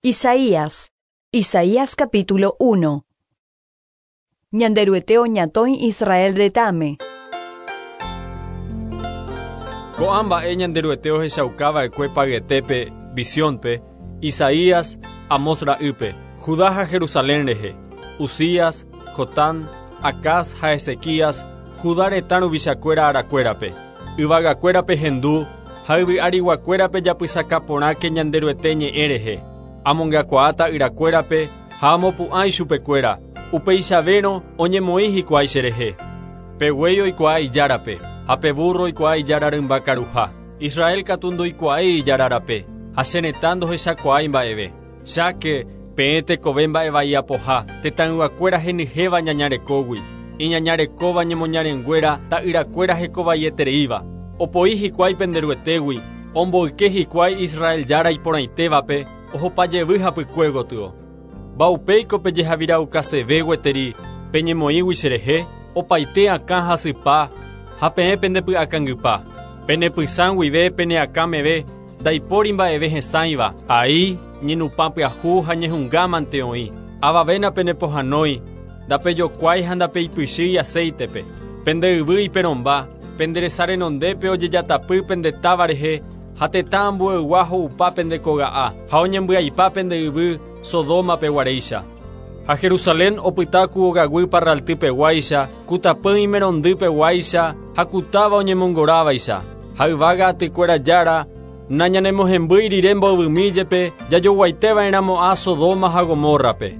Isaías. Isaías capítulo 1. Ñanderuete oñatõi Israel retãme. Ko'ã mba'e Ñanderuete ohechaukava'ekue payetépe, visiónpe, Isaías, Amós ra'ýpe, Judá ha Jerusalén rehe, Uzías, Jotán, Acaz ha Ezequías, Judá retã ruvichakuéra arakuérape. Yvagakuéra pehendu ha yvy ariguakuéra pejapysaka porãke Ñanderuete ñe'ẽ rehe. Amongakuaa ta'yrakuérape ha amopu'ã ichupekuéra, upeichavérõ oñemoĩ hikuái cherehe. Pe guéi oikuaa ijárape, ha pe búrro oikuaa ijára rymba karuha. Israel katu ndoikuaái ijára rape, ha che retã ndohechakuaái mba'eve. Cháke, peẽ tekove mba'evai apoha, tetãyguakuéra henyhẽva ñaña rekógui, iñaña rekóva ñemoñarenguéra ta'yrakuéra hekovaietereíva. Opoi hikuái pende Ruetégui, omboyke hikuái Israel Jára iporãitévape, ohopa jevy hapykue gotyo. Mba'upéiko pejehaviraukaseve gueteri peñemoĩgui cherehe? Opaite akã hasypa ha peẽ pendepy'akangypa. Penepysã guive pene akã meve Ndaipóri mba'eve hesãiva, ai, ñenupã pyahu ha ñehunga mante oĩ. Avave napenepohãnói, ndapejokuái ha ndapeipychýi aséitepe. Pende yvy iperõmba, pende resa renondépe ojejatapy pende táva rehe ha tetã ambueygua ho'upa pende koga'a ha oñembyaipa pende yvy Sodoma peguaréicha. Ha Jerusalén opyta ku ogaguy parralty peguáicha, ku tapỹi imerondy peguáicha ha ku táva oñemongorávaicha. Ha yvága atykuéra Jára, nañanemohembýi rire mbovymi jepe jajoguaite va'erãmo'ã Sodoma ha Gomórrape.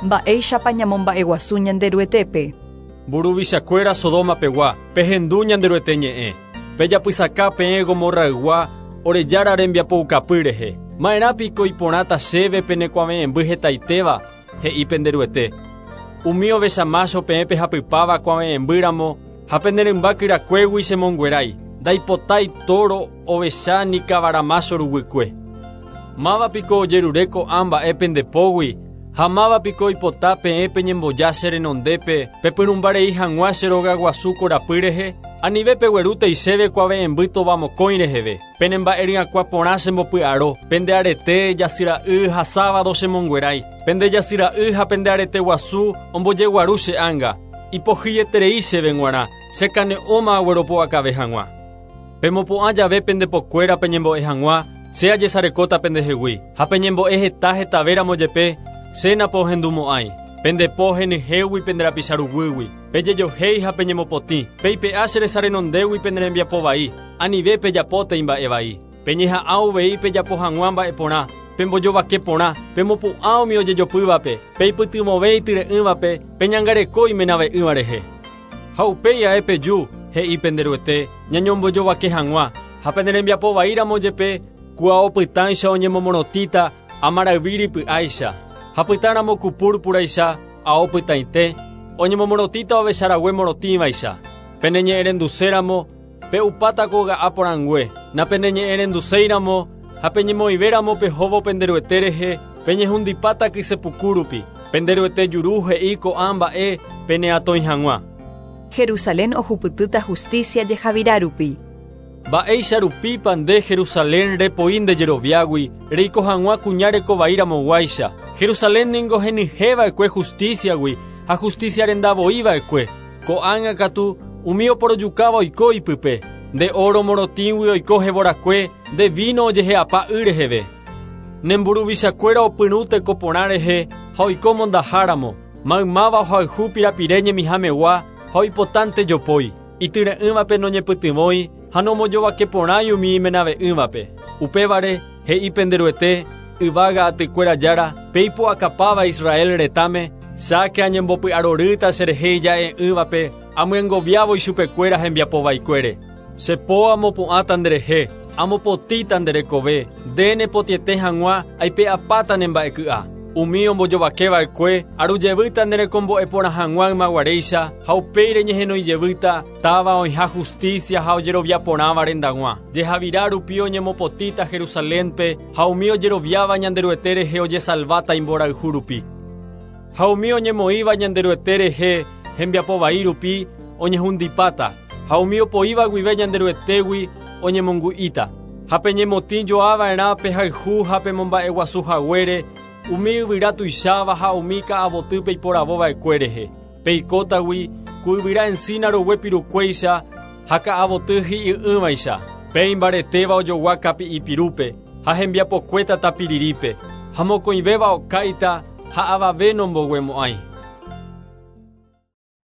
Mba'éichapa ñamomba'eguasu Ñanderuetépe? Mburuvichakuéra Sodoma pegua, pehendu Ñanderuete ñe'ẽ. Pejapysaka peẽ Gomorraygua ore Jára rembiapoukapy rehe. Ma'erã piko iporãta chéve pene kuave'ẽmby hetaitéva, he'i pende Ruete. Umi ovecha mácho peẽ pehapypáva kuave'ẽmby ramo ha pene rymba kyrakuégui chemonguerái, ndaipotái tóro, ovecha ni kavara mácho ruguykue. Máva piko ojerure ko'ã mba'e pende pógui, ha máva piko oipota peẽ peñemboja che renondépe pepyrũmba rei hag̃ua che rogaguasu korapy rehe? Anive peguerútei chéve kuave'ẽmby tova mokõi reheve. Pene mba'e ryakuã porã chembopy'aro, pende arete, jasy ra'y ha sábado chemonguerái. Pende jasy ra'y ha pende arete guasu ombojeguaru che ánga, ipohyieterei chéve g̃uarã, che kane'õma agueropu'akave hag̃ua. Pemopu'ã jave pende pokuéra peñembo'e hag̃ua, che ajesarekóta pendehegui, ha peñembo'e heta hetavéramo jepe, che napohendumo'ãi. Pende po henyhẽgui pende rapicha ruguýgui, pejejohéi ha peñemopotĩ, peipe'a che resa renondégui pene rembiapo vai, anive pejapótei mba'e vai. Peñeha'ã uvei pejapo hag̃ua mba'e porã, pembojovake porã, pemopu'ã umi ojejopývape, peipytyvõve ityre'ỹvape, peñangareko imenave'ỹva rehe. Ha upéi ae peju, he'i pende Ruete, ñañombojovake hag̃ua, ha pene rembiapo vai ramo jepe, ku ao pytãicha oñemomorotĩta amarayvi rypy'áicha, ha pytã ramo ku púrpuraicha ao pytãite, oñemomorotĩta ovecha rague morotĩvaicha. Peneñe'ẽrenduse ramo, Pe'upáta koga'a porãngue, napeneñe'ẽrenduséi ramo ha peñemoĩve ramo pehóvo pende Ruete rehe, peñehundipáta kyse puku rupi. Pende Ruete juru he'i ko'ã mba'e peneatõi hag̃ua. Jerusalén ohupytýta hustísia jehavira rupi. Mba'éicha rupípa nde Jerusalén repoi nde jeroviágui reiko hag̃ua kuña reko vai ramoguáicha? Jerusalén ningo henyhẽ va'ekue hustísiagui ha hustísia renda voi va'ekue. Ko'ág̃a katu umi oporojukáva oiko ipype, nde óro morotĩgui oiko hevorakue, nde víno ojehe'apa y reheve. Ne mburuvichakuéra opyrũ teko porã rehe ha oiko mondaháramo, maymáva ohayhu pirapire ñemihamegua ha oipotánte jopói, ityre'ỹvape noñepytyvõi ha nombojovake porãi umi imenave'ỹvape. Upévare, he'i pende Ruete, Yvága atykuéra Jára, pe ipu'akapáva Israel retãme, cháke añembopy'arorýta cherehe ija'e'ỹvape, amyengoviávo ichupekuéra hembiapo vaikuére. Che po amopu'ãta nderehe, amopotĩta nde rekove, nde nepotĩete hag̃ua aipe'apáta ne mba'eky'a. Umi ombojovake va'ekue, aru jevýta ne rekombo'e porã hag̃ua ymaguaréicha, ha upéi reñehenói jevýta, táva oĩha justícia ha ojerovia porãva rendag̃ua. Jehavira rupi oñemopotĩta Jerusalénpe, ha umi ojeroviáva Ñanderuete rehe ojesalváta imborayhu rupi. Ha umi oñemoĩva Ñanderuete rehe hembiapo vai rupi oñehundipáta, ha umi opoíva guive Ñanderuetégui oñemongu'íta. Ha peñemotĩ joava'erã pehayhu ha pemomba'eguasu haguére umi yvyra tuicháva ha umi ka'avoty peiporavova'ekue rehe. Peikótagui ku yvyra encina rogue pirukuéicha ha ka'avoty hi'y'ỹvaicha. Pe imbaretéva ojogua kapi'ipirúpe ha hembiapokuéta tapirirípe. Ha mokõivéva okáita ha avave nomboguemo'ãi.